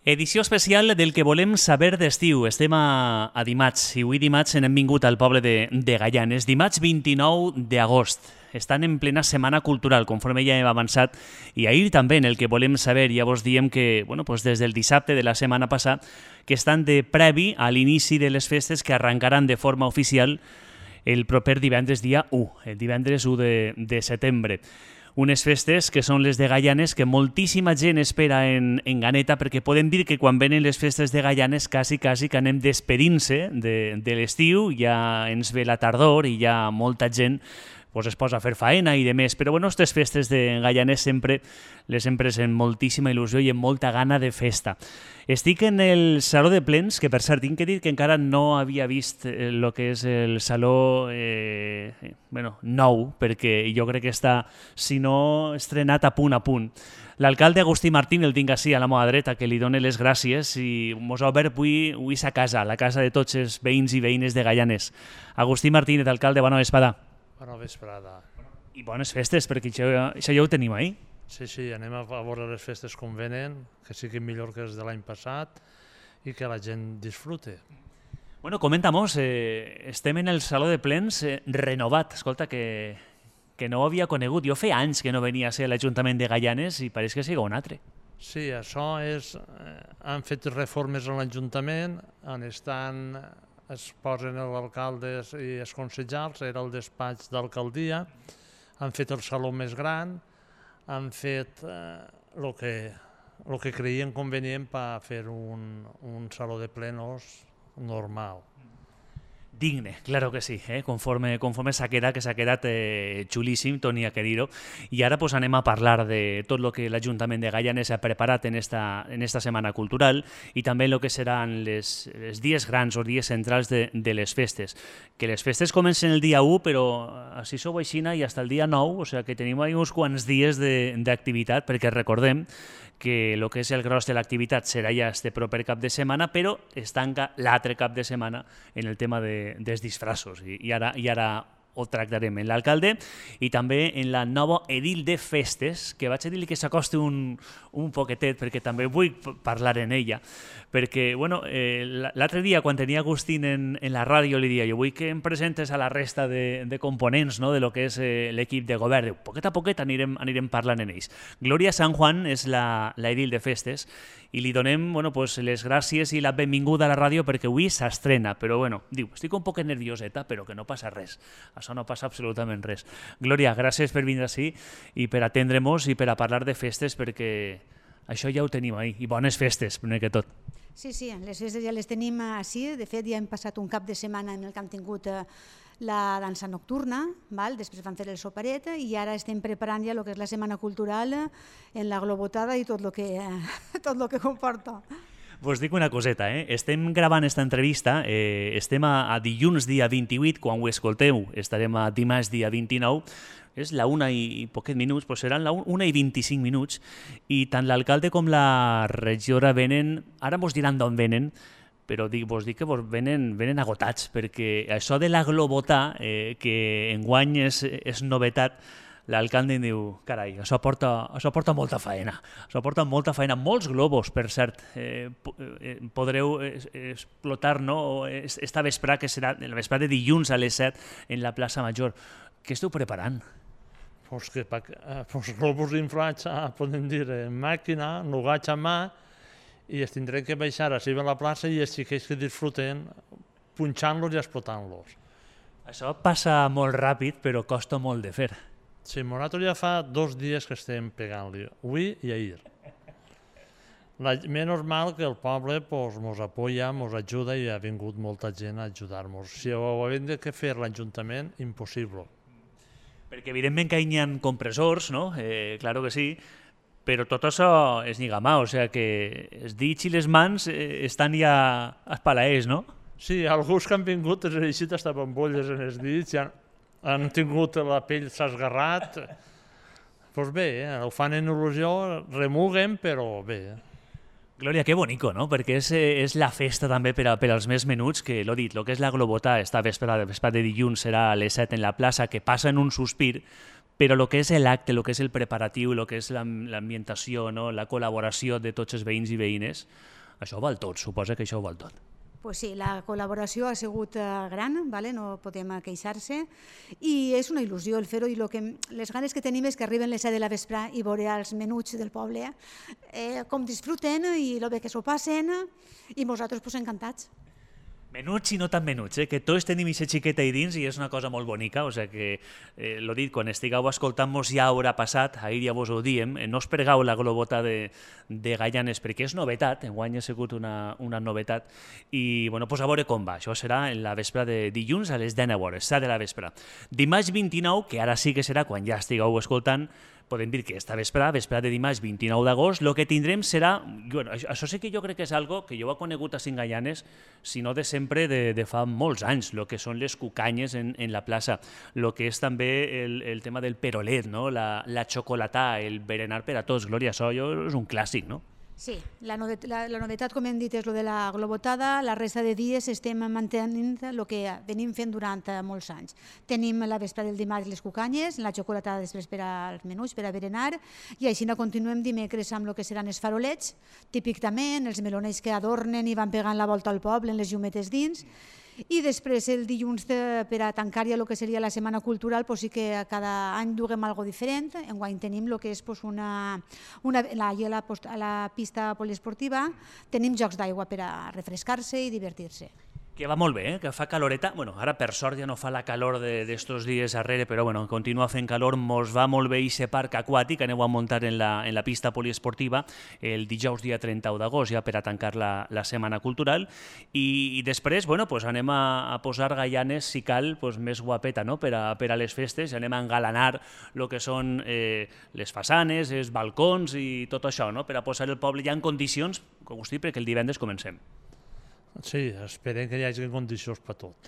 Edició especial del que volem saber d'estiu. Estem a dimarts i avui dimarts hem vingut al poble de Gaianes. Dimarts 29 d'agost. Estan en plena setmana cultural, conforme ja hem avançat, i ahir també en el que volem saber, ja vos diem que des del dissabte de la setmana passada que estan de previ a l'inici de les festes que arrencaran de forma oficial el proper divendres dia 1, el divendres 1 de setembre. Unes festes que són les de Gaianes, que moltíssima gent espera en Ganeta, perquè podem dir que quan venen les festes de Gaianes quasi que anem despedint-se de l'estiu, ja ens ve la tardor i ja molta gent es posa a fer faena i demés, però aquestes festes de Gaianes sempre les hem pres amb moltíssima il·lusió i amb molta gana de festa. Estic en el Saló de Plens, que per cert tinc que dir que encara no havia vist el que és el saló nou, perquè jo crec que està, si no estrenat, a punt. L'alcalde Agustí Martín el tinc així a la meva dreta, que li done les gràcies i mos ha obert avui sa casa, la casa de tots els veïns i veïnes de Gaianes. Agustí Martínez, alcalde, bona vesprada. Bona vesprada. I bones festes, perquè això ja ho tenim ahir. Sí, anem a veure les festes com venen, que siguin millor que els de l'any passat i que la gent disfrute. Comenta-mos, estem en el Saló de Plens renovat. Escolta, que no ho havia conegut. Jo feia anys que no venia a ser a l'Ajuntament de Gaianes i pareix que sigui un altre. Sí, això és... Han fet reformes a l'Ajuntament, es posen els alcaldes i els consellers, era el despatx d'alcaldia, han fet el saló més gran, han fet el que creien convenient per fer un saló de plenos normal. Digne, claro que sí, conforme s'ha quedat xulíssim, Toni, a que dir-ho. I ara anem a parlar de tot el que l'Ajuntament de Gaianes ha preparat en esta setmana cultural i també el que seran els dies grans o dies centrals de les festes. Que les festes comencen el dia 1, però així sou aixina i fins el dia 9, o sigui que tenim uns quants dies d'activitat, perquè recordem que el que és el gros de l'activitat serà ja este proper cap de setmana, però es tanca l'altre cap de setmana en el tema dels disfraços i ara ho tractarem en l'alcalde i també en la nova edil de festes, que vaig a dir que s'acosti un poquetet perquè també vull parlar en ella, perquè l'altre dia quan tenia Agustín en la ràdio li dia jo vull que em presentes a la resta de components de lo que és l'equip de govern. Poquet a poquet anirem parlant en ells. Glòria San Juan és la edil de festes i li donem les gràcies i la benvinguda a la ràdio perquè avui s'estrena, però diu, estic un poc nervioseta, però que no passa res. Això no passa absolutament res. Glòria, gràcies per vindre així i per atendre-nos i per a parlar de festes, perquè això ja ho tenim ahir. I bones festes, primer que tot. Sí, les festes ja les tenim així. De fet, ja hem passat un cap de setmana en el que hem tingut la dansa nocturna, després van fer el soperet i ara estem preparant ja el que és la setmana cultural en la globotada i tot el que comporta. Vos dic una coseta, estem gravant esta entrevista, estem a dilluns dia 28, quan ho escolteu estarem a dimarts dia 29, és la 1 i poquet minuts, però seran la 1 i 25 minuts, i tant l'alcalde com la regidora venen, ara vos diran d'on venen, però vos dic que venen agotats, perquè això de la globota, que enguany és novetat, l'alcalde em diu, carai, això porta molta faena. Això porta molta faena. Molts globus, per cert, podreu explotar esta vesprada, que serà la vesprada de dilluns a les 7 en la plaça Major. Què esteu preparant? Els globus inflats, podem dir, en màquina, nugats a mà, i es tindrem que baixar així a la plaça i els xiquets que disfruten punxant-los i explotant-los. Això passa molt ràpid, però costa molt de fer. Sí, nosaltres ja fa 2 dies que estem pegant-li, avui i ahir. Menys mal que el poble ens apoya, ens ajuda i ha vingut molta gent a ajudar-nos. Si ho hem de fer l'Ajuntament, impossible. Perquè evidentment que hi ha compressors, no? Claro que sí, però tot això és lligamà, o sigui que els dits i les mans estan ja espalaers, no? Sí, alguns que han vingut els eixit hasta bombolles en els dits, han tingut la pell s'ha esgarrat. Doncs bé, ho fan en il·lusió, remuguen, però bé. Glòria, que bonico, no? Perquè és la festa també per als més menuts, que l'ho dit, el que és la globota, esta vesprada de dilluns serà a les 7 en la plaça, que passa en un sospir, però el que és l'acte, el que és el preparatiu, el que és l'ambientació, no? La col·laboració de tots els veïns i veïnes, això ho val tot, suposa que això ho val tot. Pues sí, la col·laboració ha sigut gran, vale? No podem queixar-se, i és una il·lusió el fer-ho, i les ganes que tenim és que arriben les 7 de la vespre i veure els menuts del poble com disfruten i el bé que s'ho passen, i nosaltres pues, encantats. Menuts i no tan menuts, que tots tenim aquesta xiqueta ahí dins i és una cosa molt bonica, o sigui que, l'ho dit, quan estigueu escoltant-nos ja haurà passat, ahir ja vos ho diem, no us pregau la globota de Gaianes perquè és novetat, enguany ha sigut una novetat, i bueno, pues a veure com va, això serà en la vespre de dilluns a les 10 hores, 7 de la vespre. Dimarts 29, que ara sí que serà quan ja estigueu escoltant, podem dir que esta vespre de dimarts 29 d'agost, el que tindrem serà, bueno, això sí que jo crec que és algo que jo he conegut a Gaianes, si no de sempre, de fa molts anys, el que són les cucanyes en la plaça, el que és també el tema del perolet, no? la xocolatà, el berenar per a tots, Glòria, això és un clàssic, no? Sí, la novetat, com hem dit, és el de la globotada. La resta de dies estem mantenint el que venim fent durant molts anys. Tenim la vespre del dimarts les cucanyes, la xocolatada després per als menús, per a berenar, i així continuem dimecres amb el que seran els farolets, típic també, els meloners que adornen i van pegant la volta al poble en les llumetes dins. I després el dilluns per a tancar ja el que seria la Setmana Cultural, sí que cada any duguem alguna cosa diferent. Enguany tenim el que és a la pista poliesportiva, tenim jocs d'aigua per a refrescar-se i divertir-se. Que va molt bé, que fa caloreta. Bueno, ara per sort ja no fa la calor d'estos dies darrere, però bueno, continua fent calor, mos va molt bé aquest parc aquàtic, aneu a muntar en la pista poliesportiva el dijous dia 31 d'agost, ja per a tancar la Setmana Cultural, i després, bueno, pues anem a posar Gaianes, si cal, pues més guapeta, no?, per a les festes, anem a engalanar el que són les façanes, els balcons i tot això, no?, per a posar el poble ja en condicions, com us dic, perquè el divendres comencem. Sí, esperem que hi hagi condicions per tot.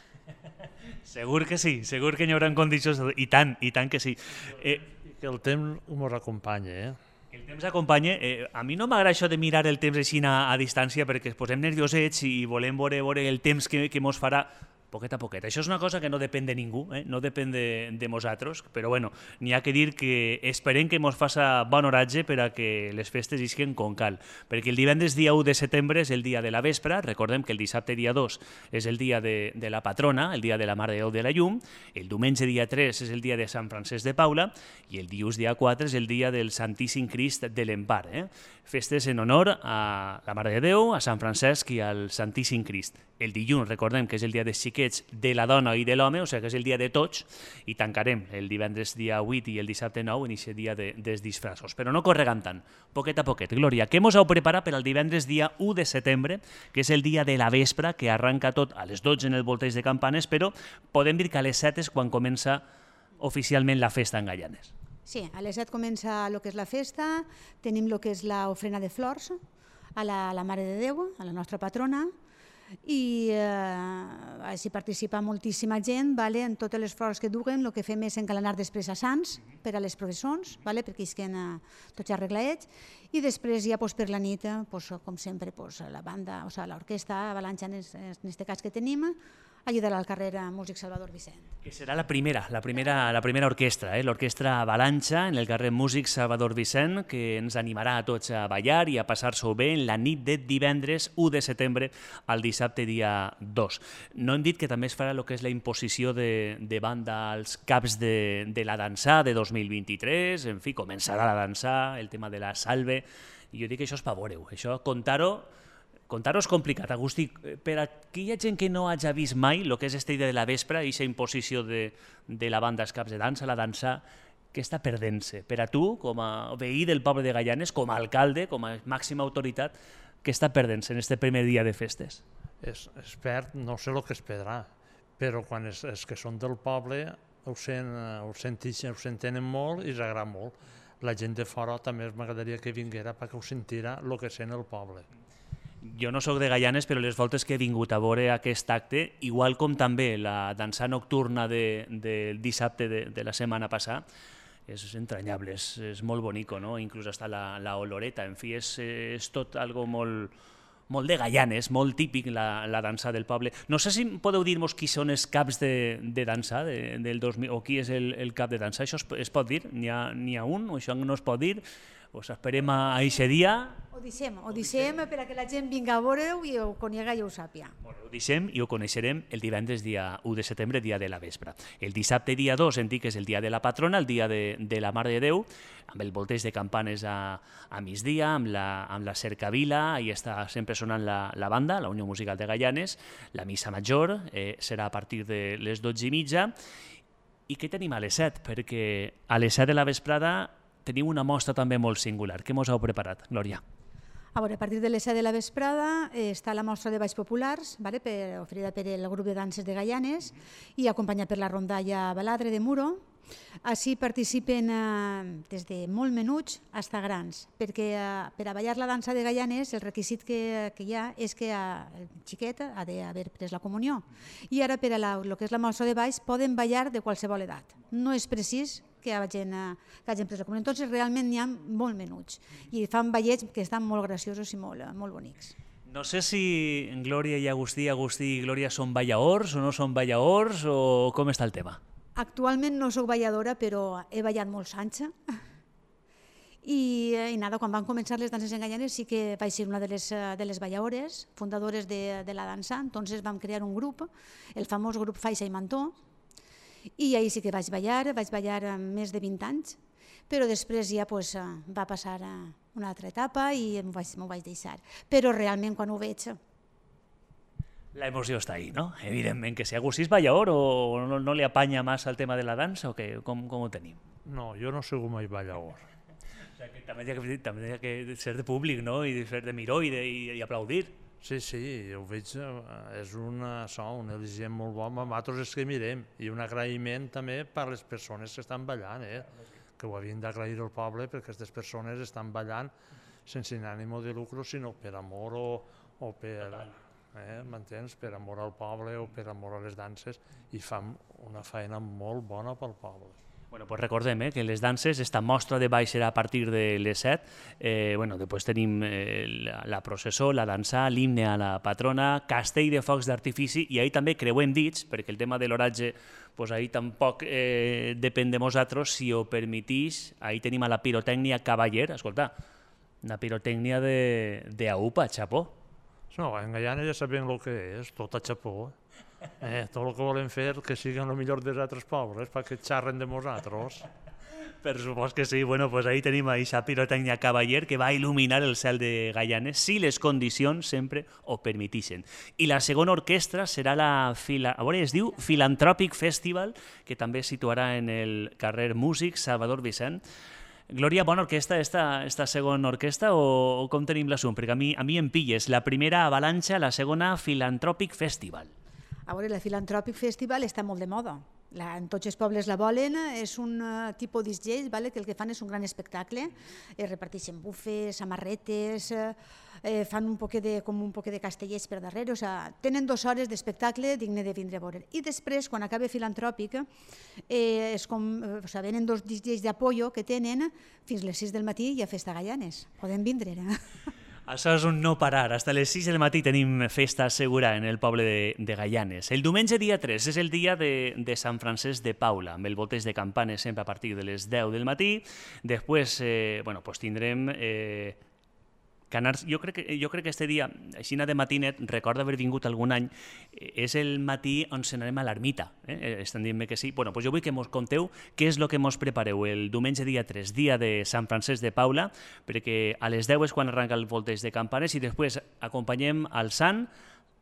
Segur que sí, segur que hi haurà condicions, i tant que sí. Que el temps ens acompanya, El temps acompanya. A mi no m'agrada això de mirar el temps així a distància perquè ens posem nerviosets i volem veure el temps que ens farà poquet a poquet. Això és una cosa que no depèn de ningú, no depèn de nosaltres, però bueno, n'hi ha que dir que esperem que ens faça bon oratge per a que les festes isquen com cal, perquè el divendres dia 1 de setembre és el dia de la vespra, recordem que el dissabte dia 2 és el dia de la patrona, el dia de la Mare de Déu de la Llum, el diumenge dia 3 és el dia de Sant Francesc de Paula i el dilluns dia 4 és el dia del Santíssim Crist de l'Empar. Festes en honor a la Mare de Déu, a Sant Francesc i al Santíssim Crist. El dilluns, recordem que és el dia dels xiquets, de la dona i de l'home, o sigui que és el dia de tots, i tancarem el divendres dia 8 i el dissabte 9 en aquest dia dels disfressos. Però no corregam tant, poquet a poquet. Glòria, què mos heu preparat per al divendres dia 1 de setembre, que és el dia de la vespra, que arranca tot a les 12 en el volteig de campanes, però podem dir que a les 7 és quan comença oficialment la festa en Gaianes. Sí, a les 7 comença el que és la festa, tenim el que és l'ofrena de flors a la Mare de Déu, a la nostra patrona, i així participa moltíssima gent en totes les flors que duguen. El que fem és encalanar després a Sants per a les processons, perquè isquen tots ja arregladets, i després ja per la nit, com sempre, la banda, l'orquestra Avalanxa, en aquest cas que tenim, ajudarà al carrer Músic Salvador Vicent. Que serà la primera orquestra, l'orquestra Avalanxa en el carrer Músic Salvador Vicent, que ens animarà a tots a ballar i a passar-s'ho bé en la nit de divendres 1 de setembre al dissabte dia 2. No hem dit que també es farà el que és la imposició de banda als caps de la dansà de 2023, en fi, començarà la dansà, el tema de la salve, i jo dic que això és per veure-ho, això contar-ho és complicat, Agustí. Per a aquella gent que no hagi vist mai el que és aquesta idea de la vespra i aquesta imposició de la banda als caps de dansa, la dansa, què està perdent-se? Per a tu, com a veí del poble de Gaianes, com a alcalde, com a màxima autoritat, què està perdent-se en aquest primer dia de festes? Es perd, no sé el que es perdrà, però quan els que són del poble ho s'entenen molt i s'agrada molt. La gent de fora també m'agradaria que vinguera perquè ho sentirà el que sent el poble. Jo no sóc de Gaianes, però les voltes que he vingut a veure aquest acte, igual com també la dansa nocturna del dissabte de la setmana passada, és entranyable, és molt bonic, no? Inclús hasta la oloreta, en fi, és tot algo molt de Gaianes, molt típic la dansa del poble. No sé si podeu dir-nos qui són els caps de dansa del 2000, o qui és el cap de dansa, això es pot dir? N'hi ha un, o això no es pot dir? Us esperem a aquest dia. Ho deixem perquè la gent vinga a veure-ho i ho conega i ho sàpia. Ho deixem i ho coneixerem el divendres dia 1 de setembre, dia de la vespre. El dissabte dia 2 hem dit que és el dia de la patrona, el dia de la Mare de Déu, amb el volteig de campanes a migdia, amb la cercavila, ahí està sempre sonant la banda, la Unió Musical de Gaianes, la missa major serà a partir de les 12:30. I què tenim a les 7? Perquè a les 7 de la vesprada tenim una mostra també molt singular. Què mos heu preparat, Glòria? A veure, a partir de les 7 de la vesprada està la mostra de balls populars, oferida per el grup de danses de Gaianes i acompanyat per la rondalla Baladre de Muro. Així participen des de molt menuts fins a grans, perquè per a ballar la dansa de Gaianes el requisit que hi ha és que el xiquet ha d'haver pres la comunió. I ara per a el que és la mostra de balls poden ballar de qualsevol edat. No és precís que hagin pres la comunió. Entonces realment n'hi ha molt menuts i fan ballets que estan molt graciosos i molt bonics. No sé si Glòria i Agustí i Glòria són ballaors o no són ballaors o com està el tema? Actualment no soc balladora, però he ballat molts anys. I quan van començar les danses en Gaianes sí que vaig ser una de les balladores, fundadores de la dansa. Entonces vam crear un grup, el famós grup Faixa i Mantó, i ahir sí que vaig ballar més de 20 anys, però després ja va passar una altra etapa i m'ho vaig deixar. Però realment quan ho veig... La emoció està ahí, no? Evidentment que si Agustí és ballador o no li apanya massa el tema de la dansa o què? Com ho tenim? No, jo no soc mai ballador. O sigui, que també hi ha que ser de públic, no? I fer de miró i aplaudir. Sí, ho veig, és un al·licient molt bo, amb nosaltres és que mirem, i un agraïment també per les persones que estan ballant, que ho havien d'agrair al poble perquè aquestes persones estan ballant sense ànim de lucre, sinó per amor o per... m'entens? Per amor al poble o per amor a les danses, i fan una feina molt bona pel poble. Bueno, pues recordem que les danses, esta mostra de ball serà a partir de les 7. Després tenim la processó, la dansa, l'himne a la patrona, castell de focs d'artifici, i ahir també creuem dits, perquè el tema de l'oratge ahir tampoc depèn de nosaltres, si ho permetís, ahir tenim a la pirotècnia Cavaller, escolta, una pirotècnia d'AUPA, xapó. No, en Gaianes ja sabem el que és, tot a xapó. Tot el que volem fer que siguin el millor dels altres pobles, perquè xarren de nosaltres. Per supost que sí. Pues ahí tenim aquesta pirotècnia Cavaller que va il·luminar el cel de Gaianes si les condicions sempre ho permetixen. I la segona orquestra serà es diu Philanthropic Festival, que també es situarà en el carrer Músic Salvador Vicent. Glòria, bona orquestra, esta segona orquestra, o com tenim l'assumpte? Perquè a mi em pilles la primera Avalanxa, la segona Philanthropic Festival. A veure, la Philanthropic Festival està molt de moda. En tots els pobles la volen, és un tipus d'isgell que el que fan és un gran espectacle, reparteixen bufes, samarretes, fan un poc de castellers per darrere, tenen 2 hores d'espectacle digne de vindre a veure. I després, quan acaba Philanthropic, venen 2 isgells d'apollo que tenen fins les 6 del matí i a festa Gaianes. Poden vindre. Això és un no parar. Fins les 6 del matí tenim festa segura en el poble de Gaianes. El diumenge dia 3 és el dia de Sant Francesc de Paula, amb el volteig de campanes sempre a partir de les 10 del matí. Després tindrem canars. Jo crec que este dia, així de matinet, recordo haver vingut algun any, és el matí on s'anem a l'ermita. Estan dient-me que sí. Jo vull que mos conteu què és el que mos prepareu el diumenge dia 3, dia de Sant Francesc de Paula, perquè a les 10 és quan arranca el volteig de campanes i després acompanyem al sant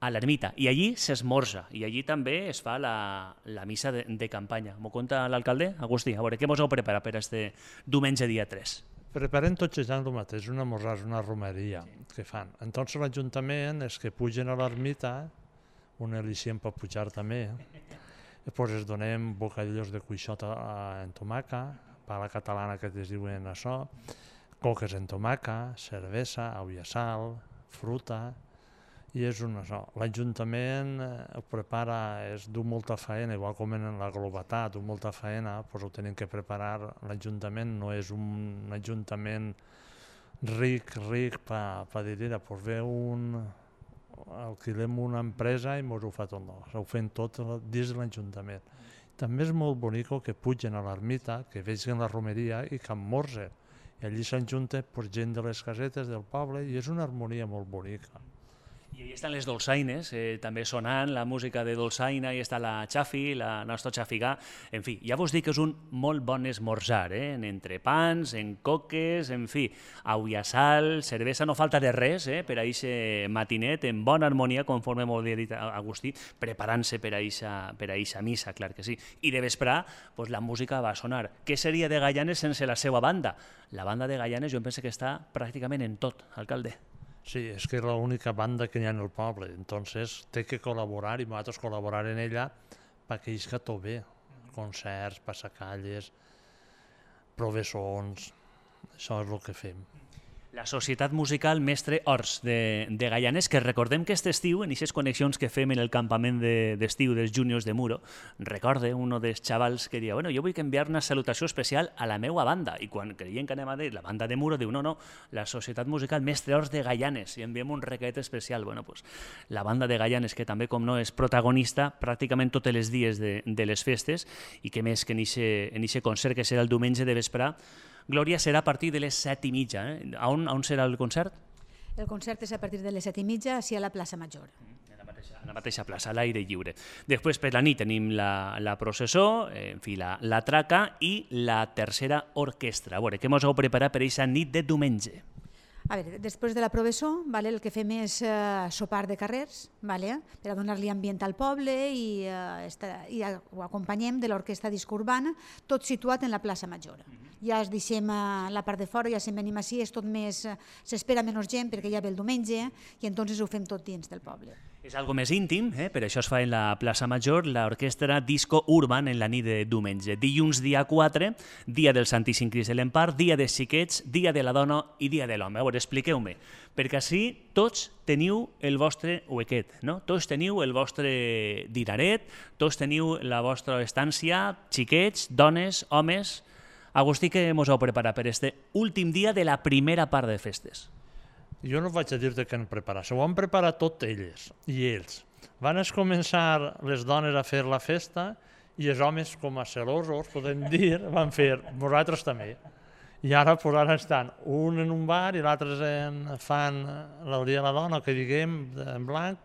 a l'ermita, i allí s'esmorza, i allí també es fa la missa de campanya. M'ho conta l'alcalde? Agustí, a veure, què mos heu preparat per este diumenge dia 3? Preparem tots els anys el mateix, un esmorzar, una romeria que fan. Entonces l'Ajuntament és que pugen a l'ermita, un al·licient per pujar també, després es donem bocadillos de cuixota en tomaca, pa la catalana que es diuen això, coques en tomaca, cervesa, au i sal, fruta, i és això. L'Ajuntament ho prepara, du molta feina, igual com en la globatat, du molta feina, doncs ho tenim que preparar. L'Ajuntament no és un Ajuntament ric per dir, doncs alquilem una empresa i ens ho fa tot. Ho fem tot dins de l'Ajuntament. També és molt bonic que pugen a l'ermita, que vegin la romeria i que esmorzen. I allí s'ajunta gent de les casetes del poble i és una harmonia molt bonica. I ahí estan les dolçaines, també sonant la música de dolçaina, i està la Xafi, la nostra Xafigà. En fi, ja vos dic que és un molt bon esmorzar, en entrepans, en coques, en fi, aigua, sal, cervesa, no falta de res per a aquest matinet, en bona harmonia, conforme molt bé dit Agustí, preparant-se per a eixa missa, clar que sí. I de vesprà, pues, la música va sonar. Què seria de Gaianes sense la seva banda? La banda de Gaianes jo penso que està pràcticament en tot, alcalde. Sí, és que és l'única banda que hi ha en el poble, entonces té que col·laborar i nosaltres col·laborar en ella perquè isca tot bé, concerts, passacalles, professons, això és el que fem. La Societat Musical Mestre Ors de Gaianes, que recordem que aquest estiu, en aquestes connexions que fem en el campament d'estiu dels júniors de Muro, recorde un dels xavals que deia, bueno, jo vull enviar una salutació especial a la meva banda, i quan creien que anem a dir la banda de Muro, diu, no, la Societat Musical Mestre Ors de Gaianes, i enviem un requet especial. Bueno, pues, la banda de Gaianes, que també, com no, és protagonista pràcticament tots els dies de les festes, i que més que en aquest concert, que serà el diumenge de vesprà, Glòria, serà a partir de les 7:30. On serà el concert? El concert és a partir de les 7:30, així a la plaça Major. A la mateixa plaça, a l'aire lliure. Després, per la nit, tenim la processó, en fi, la traca i la tercera orquestra. A veure, què ens heu preparat per aquesta nit de diumenge? A veure, després de la professó, el que fem és sopar de carrers, per a donar-li ambient al poble i ho acompanyem de l'orquestra disco urbana, tot situat en la plaça Major. Ja es deixem la part de fora, ja se'n venim així, és tot més, s'espera menys gent perquè ja ve el diumenge i entonces ho fem tot dins del poble. És algo més íntim, per això es fa en la plaça Major, l'orquestra Disco Urban en la nit de diumenge. Dilluns, dia 4, dia del Santíssim Crist de l'Empar, dia dels xiquets, dia de la dona i dia de l'home. A veure, expliqueu-me, perquè així tots teniu el vostre huequet, no? Tots teniu el vostre dinaret, tots teniu la vostra estància, xiquets, dones, homes. Agustí, què ens heu preparat per este últim dia de la primera part de festes? Jo no vaig a dir-te què han preparat, s'ho han preparat tot elles i ells. Van començar les dones a fer la festa i els homes, com a celosos, podem dir, van fer, vosaltres també. I ara estan un en un bar i l'altre fan el dia de la dona, que diguem, en blanc,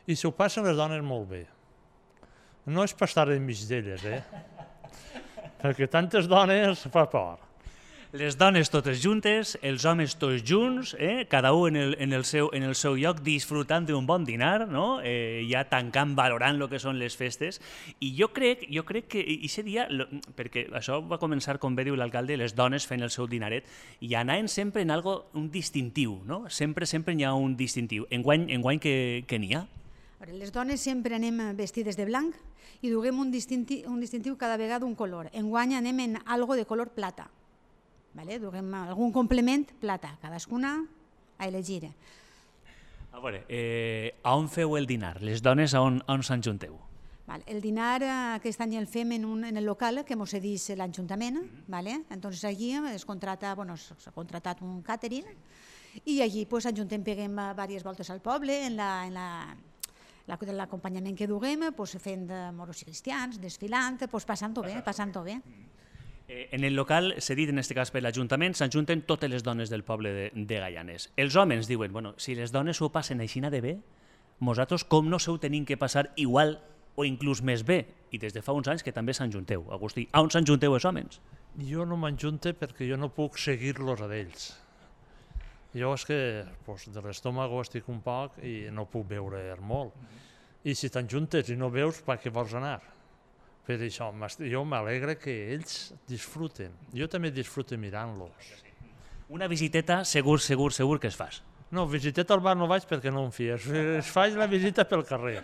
i s'ho passen les dones molt bé. No és per estar enmig d'elles, perquè tantes dones fa por. Les dones totes juntes, els homes tots junts, cada un en el seu lloc, disfrutant d'un bon dinar, no? Ja tancant, valorant el que són les festes. I jo crec que aquest dia, perquè això va començar, com bé diu l'alcalde, les dones fent el seu dinaret, i anaven sempre en un distintiu, no? Sempre n'hi ha un distintiu. Enguany què n'hi ha? Les dones sempre anem vestides de blanc i duguem un distintiu cada vegada d'un color. Enguany anem en algo de color plata. Duguem algun complement, plata, cadascuna a elegir. A veure, on feu el dinar? Les dones on s'enjunteu? El dinar aquest any el fem en el local que ens cedeix l'Ajuntament. Entonces allí s'ha contratat un catering i allí ajuntem, peguem diverses voltes al poble en l'acompanyament que duguem, fent moros i cristians, desfilant, passant-ho bé. En el local, cedit en aquest cas per l'Ajuntament, s'ajunten totes les dones del poble de Gaianes. Els homes diuen, bueno, si les dones ho passen així de bé, nosaltres com no s'ho tenim que passar igual o inclús més bé? I des de fa uns anys que també s'enjunteu. Agustí, on s'enjunteu els homes? Jo no m'enjunte perquè jo no puc seguir-los a ells. Jo és que de l'estómago estic un poc i no puc veure molt. I si t'enjuntes i no veus, per què vols anar? Per això, jo m'alegre que ells disfruten. Jo també disfruto mirant-los. Una visiteta segur que es fas. No, visiteta al bar no vaig perquè no em fies. Es faig la visita pel carrer.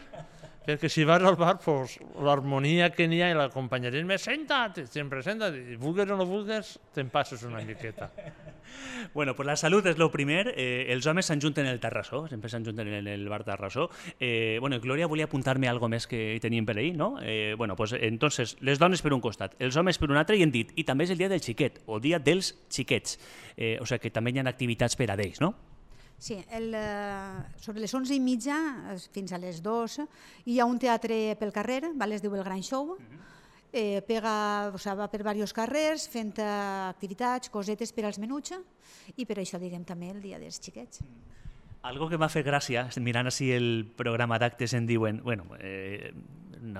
Perquè si vas al bar, l'harmonia que n'hi ha i l'acompanyament, senta't, sempre senta't, i vulgues o no vulgues, te'n passes una miqueta. Bueno, pues la salut és el primer. Els homes s'enjunten en el terrassó, sempre s'enjunten en el bar terrassó. Bueno, Glòria volia apuntar-me alguna més que teníem per ahir, no? Bueno, pues entonces, les dones per un costat, els homes per un altre, i hem dit, i també és el dia del xiquet, o dia dels xiquets. O sigui que també hi ha activitats per a ells, no? Sí, sobre les 11:30 fins a les 2 hi ha un teatre pel carrer, es diu el Gran Show. va per diversos carrers fent activitats, cosetes per als menuts i per això diguem també el dia dels xiquets. Algo que m'ha fet gràcia, mirant així el programa d'actes en diuen, bueno,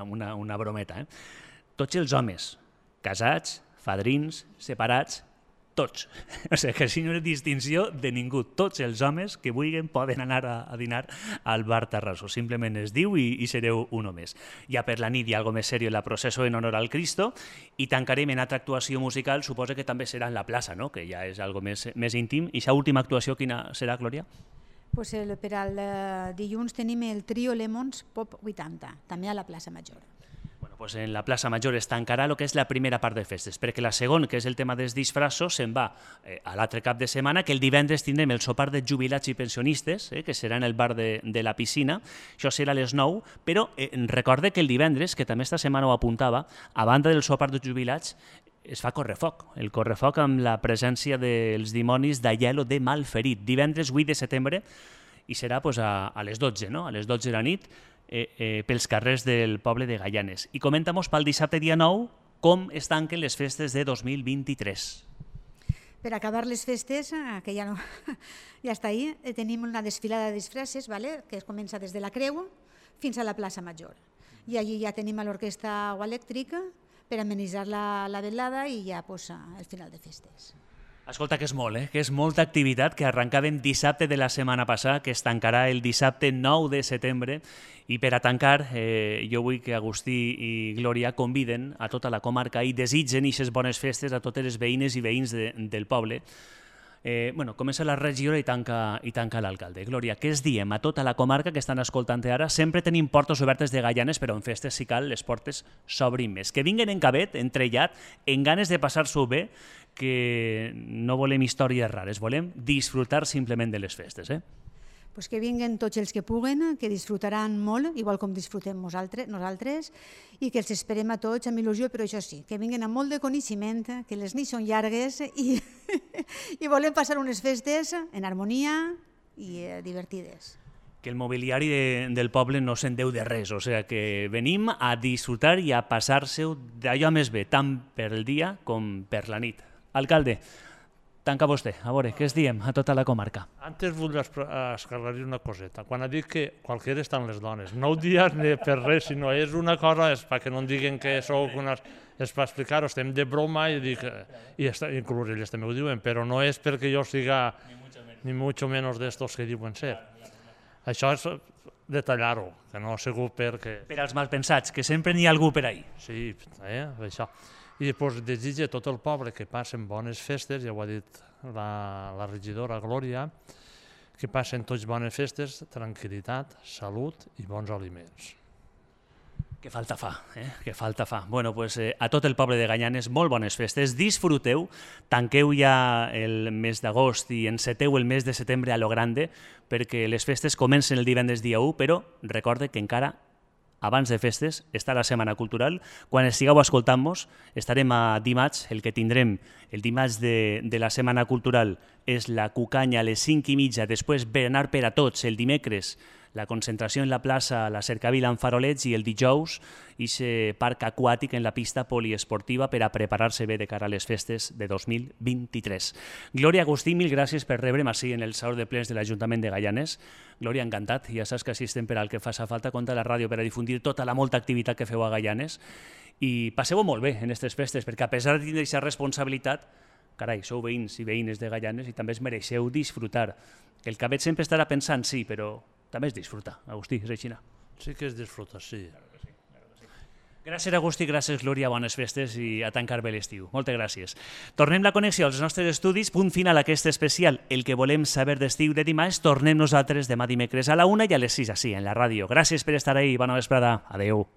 una brometa, tots els homes, casats, fadrins, separats, tots. O sigui, que si no hi ha distinció de ningú. Tots els homes que vulguin poden anar a dinar al bar Tarraso. Simplement es diu i sereu un més. Ja per la nit hi ha algo més seriós, la processó en honor al Cristo, i tancarem en altra actuació musical, suposa que també serà en la plaça, no? Que ja és algo més íntim. I aquesta última actuació quina serà, Glòria? Pues per al dilluns tenim el trio Lemons Pop 80, també a la plaça Major. Pues en la plaça Major es tancarà el que és la primera part de festes, perquè la segona, que és el tema dels disfraços, se'n va a l'altre cap de setmana, que el divendres tindrem el sopar de jubilats i pensionistes, que serà en el bar de la piscina, això serà a les 9, però recorde que el divendres, que també esta setmana ho apuntava, a banda del sopar de jubilats, es fa correfoc, el correfoc amb la presència dels dimonis d'Aielo de Malferit, divendres 8 de setembre, i serà pues, a les 12, no? A les 12 de la nit, pels carrers del poble de Gaianes. I comenta-mos pel dissabte dia 9 com es tanquen les festes de 2023. Per acabar les festes, que ja està ahí, tenim una desfilada de disfresses, que comença des de la Creu fins a la plaça Major. I allí ja tenim l'orquestra elèctrica per amenitzar la velada i ja el final de festes. Escolta, que és molt, que és molta activitat, que arrencàvem dissabte de la setmana passada, que es tancarà el dissabte 9 de setembre, i per a tancar jo vull que Agustí i Glòria conviden a tota la comarca i desitgen aquestes bones festes a totes les veïnes i veïns del poble. Comença la regidora i tanca l'alcalde. Glòria, què es diem a tota la comarca que estan escoltant ara? Sempre tenim portes obertes de Gaianes, però en festes, si cal, les portes s'obrin més. Que vinguen en cabet, entrellat, en ganes de passar-s'ho bé, que no volem històries rares, volem disfrutar simplement de les festes. Pues que vinguen tots els que puguen, que disfrutaran molt, igual com disfrutem nosaltres, i que els esperem a tots amb il·lusió, però això sí, que vinguen amb molt de coneixement, que les nits són llargues i volem passar unes festes en harmonia i divertides. Que el mobiliari del poble no se'n deu de res, o sigui que venim a disfrutar i a passar-se-ho d'allò més bé, tant per el dia com per la nit. Alcalde, tanca vostè, a veure, què es diem a tota la comarca? Antes vull esclarir una coseta. Quan ha dit que qualsevol estan les dones, no ho dies ni per res, sinó és una cosa, és perquè no diguen que sou unes... És per explicar-ho, estem de broma i dic... I inclús elles també ho diuen, però no és perquè jo siga ni mucho menos d'estos que diuen ser. Això és detallar-ho, que no ha sigut perquè... Per als malpensats, que sempre n'hi ha algú per ahí. Sí, això. I després desitja a tot el poble que passen bones festes, ja ho ha dit la regidora Glòria, que passen tots bones festes, tranquil·litat, salut i bons aliments. Que falta fa, que falta fa. Bueno, pues a tot el poble de Gaianes, molt bones festes, disfruteu, tanqueu ja el mes d'agost i enceteu el mes de setembre a lo grande, perquè les festes comencen el divendres dia 1, però recorde que encara abans de festes està la Setmana Cultural. Quan estigueu escoltant-nos, estarem a dimarts, el que tindrem el dimarts de la Setmana Cultural és la cucanya a les 5:30, després berenar per a tots el dimecres, la concentració en la plaça, la cercavila amb farolets, i el dijous aquest parc aquàtic en la pista poliesportiva per a preparar-se bé de cara a les festes de 2023. Glòria, Agustí, mil gràcies per rebre'm així en el Saló de Plens de l'Ajuntament de Gaianes. Glòria, encantat. Ja saps que assistem per al que faci falta contra la ràdio per a difundir tota la molta activitat que feu a Gaianes. I passeu molt bé en aquestes festes, perquè a pesar de tenir aquesta responsabilitat, carai, sou veïns i veïnes de Gaianes i també es mereixeu disfrutar. El cabet sempre estarà pensant, sí, però també es disfruta. Agustí, és així. Sí que es disfruta, sí. Gràcies, Agustí, gràcies, Glòria, bones festes i a tancar bé l'estiu. Moltes gràcies. Tornem la connexió als nostres estudis, punt final a aquest especial, el que volem saber d'estiu de dimarts. Tornem nosaltres demà dimecres a la 1 i a les 6, així, en la ràdio. Gràcies per estar ahí, bona vesprada. Adeu.